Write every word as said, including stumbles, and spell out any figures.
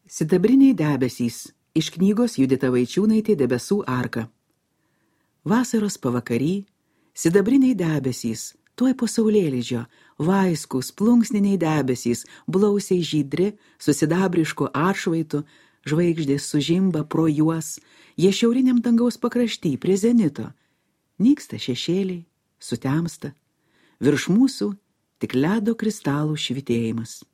Sidabriniai debesys iš knygos Judita Vaičiūnaitė Debesų arka. Vasaros pavakary, sidabriniai debesys, tuoj po saulėlydžio, vaiskus, plunksniniai debesys, blausiai žydri, su sidabrišku atšvaitu, žvaigždės sužimba pro juos, jie šiauriniam dangaus pakrašty prie zenito. Nyksta šešėliai, sutemsta, virš mūsų tik ledo kristalų švytėjimas.